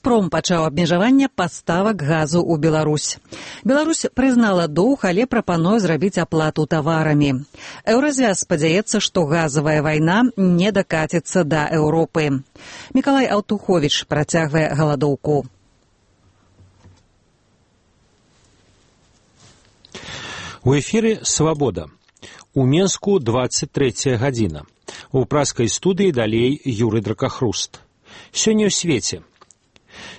«Газпром» пачаў абмежаванне паставак газу ў Беларусь. Беларусь прызнала доўг, але прапануе зрабіць аплату таварамі. Еўразвяз спадзяецца, што газавая вайна не дакаціцца да Еўропы. Мікалай Аўтуховіч працягвае галадоўку. У эфіры «Свабода». У Менску 23 гадзіна. У праскай студыі далей Юрый Дракахруст. Сёння ў свеце.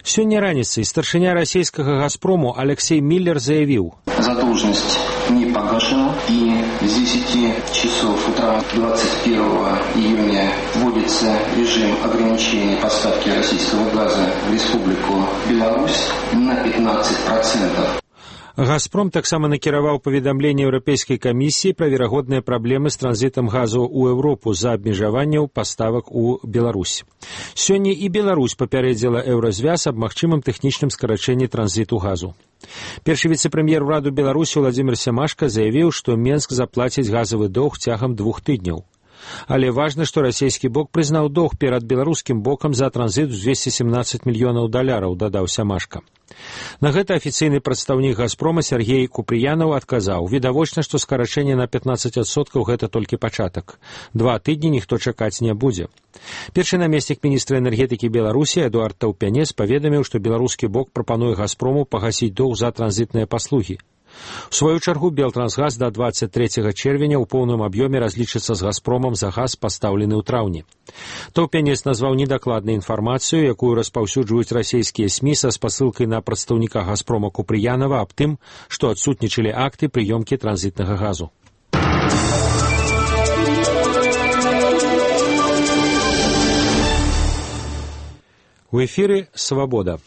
Сёння раніцай старшыня расійскага «Газпрому» Алексей Миллер заявіў: задолженность не погашена, и с 10 часов утра 21 июня вводится режим ограничения поставки российского газа в Республику Беларусь на 15%. «Газпром» таксама накіраваў паведамленне Еўрапейскай камісіі пра верагодныя праблемы з транзітам газу ў Еўропу з-за абмежаванняў паставак у Беларусь. Сёння і Беларусь папярэдзіла Еўразвяз аб магчымым тэхнічным скарачэнні транзіту газу. Першы віцэ-прэм'ер ураду Беларусі Владзімір Сямашка заявіў, што Менск заплаціць газавы доўг цягам 2 тыдняў. Але важна, што расійскі бок прызнаў доўг перад беларускім бокам за транзіт у $217 мільёнаў, дадаў Сямашка. На гэта афіцыйны прадстаўнік «Газпрома» Сергей Купрыянаў адказаў: відавочна, што скарачэнне на 15% гэта толькі пачатак. 2 тыдні ніхто чакаць не будзе. Першы намеснік міністра энергетыкі Беларусі Эдуард Таўпянец паведаміў, што беларускі бок прапануе «Газпрому» пагасіць доўг за транзітныя паслугі. У сваю чаргу Белтрансгаз да 23 чэрвеня ў поўным аб'ёме разлічыцца з «Газпромам» за газ, пастаўлены ў траўні. Таўпянец назваў недакладнай інфармацыю, якую распаўсюджваюць расійскія СМІ са спасылкай на прадстаўніка «Газпрома» Купрыянава аб тым, што адсутнічалі акты прыёмкі транзітнага газу. У эфіры «Свабода».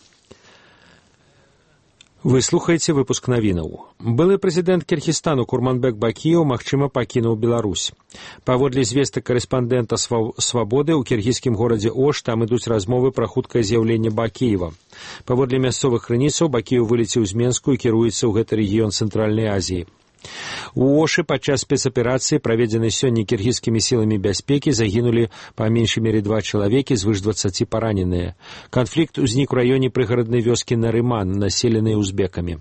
Вы слухаеце выпуск навінаў. Былы прэзідэнт Кіргізстану Курманбек Бакіеў, магчыма, пакінуў Беларусь. Паводле звестак карэспандэнта «Свабоды», у кіргізскім горадзе Ош там ідуць размовы пра хуткае з'яўленне Бакіева. Паводле мясцовых крыніцаў, Бакіеў вылецеў з Менску і кіруецца ў гэты рэгіён Цэнтральнай Азіі. У Ошы падчас спецаперацыі, праведзенай сёння кіргізскімі сіламі бяспекі, загінулі па меншай мере 2 чалавекі, звыш 20 параненыя. Канфлікт узнік у раёне прыгараднай вёскі Нарыман, населенай узбекамі.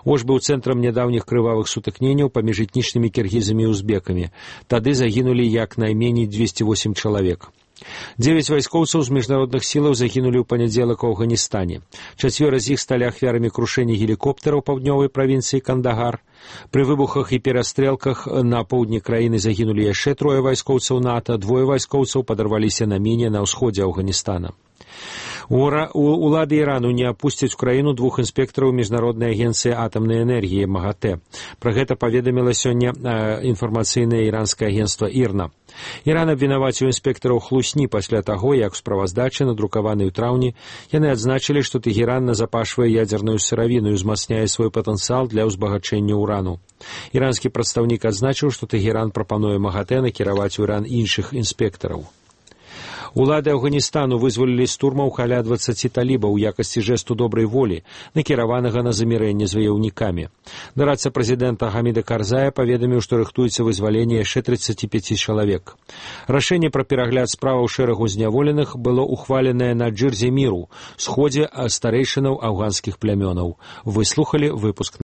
Ош быў цэнтрам нядаўніх крывавых сутыкненняў паміж этнічнымі кіргізамі і узбекамі. Тады загінулі як найменей 208 чалавек. 9 вайскоўцаў з міжнародных сілаў загінулі ў панядзелак у Афганістане. 4 з іх сталі ахвярамі крушэння гелікоптэраў паўднёвай правінцыі Кандагар. Пры выбухах і перастрэлках на поўдні краіны загінулі яшчэ 3 вайскоўцаў НАТО, 2 вайскоўцаў падарваліся на міне на ўсходзе Афганістана. Улады Ірану не апусцяць у краіну 2 інспектараў міжнароднай агенцыі атамнай энергіі МАГАТЭ. Пра гэта паведаміла сёння інфармацыйнае іранскае агенцтва ІРНА. Іран абвінаваціў інспектараў хлусні пасля таго, як у справаздачы, надрукаванай у траўні, яны адзначылі, што Тэгеран назапашвае ядзерную сыравіну і узмацняе свой патэнцыял для ўзбагачэння ўрану. Іранскі прадстаўнік адзначыў, што Тэгеран прапануе МАГАТЭ накіраваць у Іран іншых інспектараў. Улады Афганістану вызвалілі з турмаў каля 20 талібаў у якасці жэсту добрай волі, накіраванага на замірэнне з ваяўнікамі. Дорадца прэзідэнта Гаміда Карзая паведаміў, што рыхтуецца вызваленне яшчэ 35 чалавек. Рашэнне пра перагляд справаў шэрагу зняволеных было ухваленае на Джырзе Міру, сходзе старэйшынаў афганскіх плямёнаў. Вы слухалі выпуск